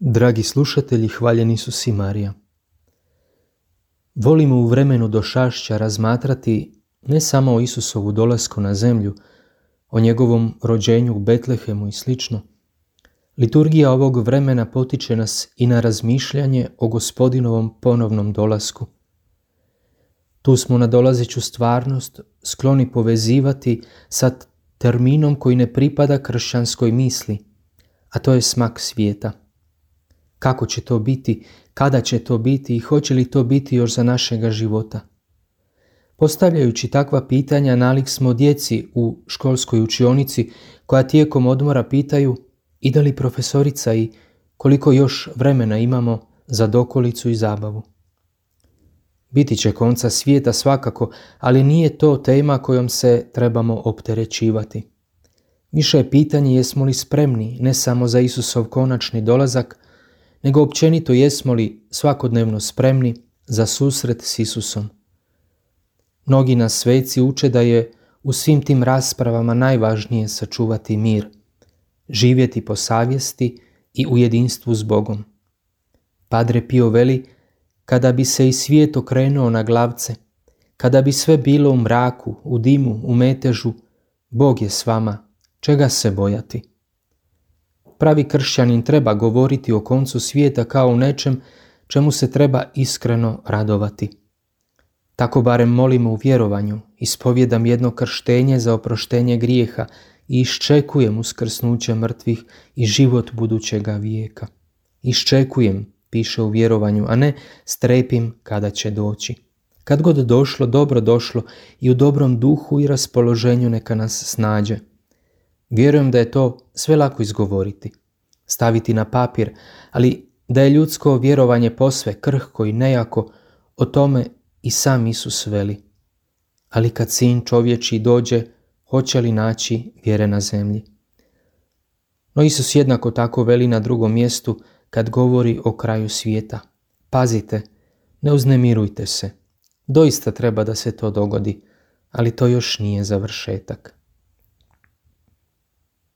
Dragi slušatelji, hvaljen Isus i Marija. Volimo u vremenu došašća razmatrati ne samo o Isusovu dolasku na zemlju, o njegovom rođenju u Betlehemu i sl. Liturgija ovog vremena potiče nas i na razmišljanje o Gospodinovom ponovnom dolasku. Tu smo nadolazeću stvarnost skloni povezivati sa terminom koji ne pripada kršćanskoj misli, a to je smak svijeta. Kako će to biti, kada će to biti i hoće li to biti još za našega života? Postavljajući takva pitanja nalik smo djeci u školskoj učionici koja tijekom odmora pitaju ide li profesorica i koliko još vremena imamo za dokolicu i zabavu. Biti će konca svijeta svakako, ali nije to tema kojom se trebamo opterećivati. Više je pitanje jesmo li spremni ne samo za Isusov konačni dolazak, nego općenito jesmo li svakodnevno spremni za susret s Isusom. Mnogi nas sveci uče da je u svim tim raspravama najvažnije sačuvati mir, živjeti po savjesti i u jedinstvu s Bogom. Padre Pio veli, kada bi se i svijet okrenuo na glavce, kada bi sve bilo u mraku, u dimu, u metežu, Bog je s vama, čega se bojati? Pravi kršćanin treba govoriti o koncu svijeta kao o nečem čemu se treba iskreno radovati. Tako barem molimo u vjerovanju, ispovjedam jedno krštenje za oproštenje grijeha i iščekujem uskrsnuće mrtvih i život budućega vijeka. Iščekujem, piše u vjerovanju, a ne strepim kada će doći. Kad god došlo, dobro došlo i u dobrom duhu i raspoloženju neka nas snađe. Vjerujem da je to sve lako izgovoriti, staviti na papir, ali da je ljudsko vjerovanje posve krhko i nejako, o tome i sam Isus veli. Ali kad sin čovječji dođe, hoće li naći vjere na zemlji? No Isus jednako tako veli na drugom mjestu kad govori o kraju svijeta. Pazite, ne uznemirujte se. Doista treba da se to dogodi, ali to još nije završetak.